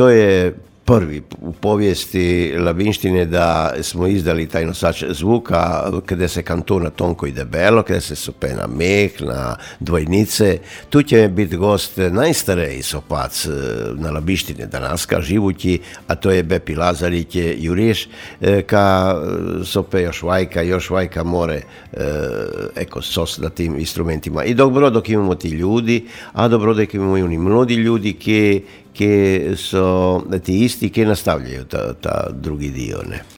to je prvi u povijesti Labinštine da smo izdali taj nosač zvuka kada se kantona tonko i debelo, kada se sope na meh, na dvojnice. Tu će biti gost najstarej sopac na Labinštine danaska, živući, a to je Bepi Lazarić Juriš, ka sope još vajka more sos na tim instrumentima. I dobro dok imamo ti ljudi, a dobro dok imamo i oni mladi ljudi ki so ti isti, ki nastavljaju ta drugi dio, ne.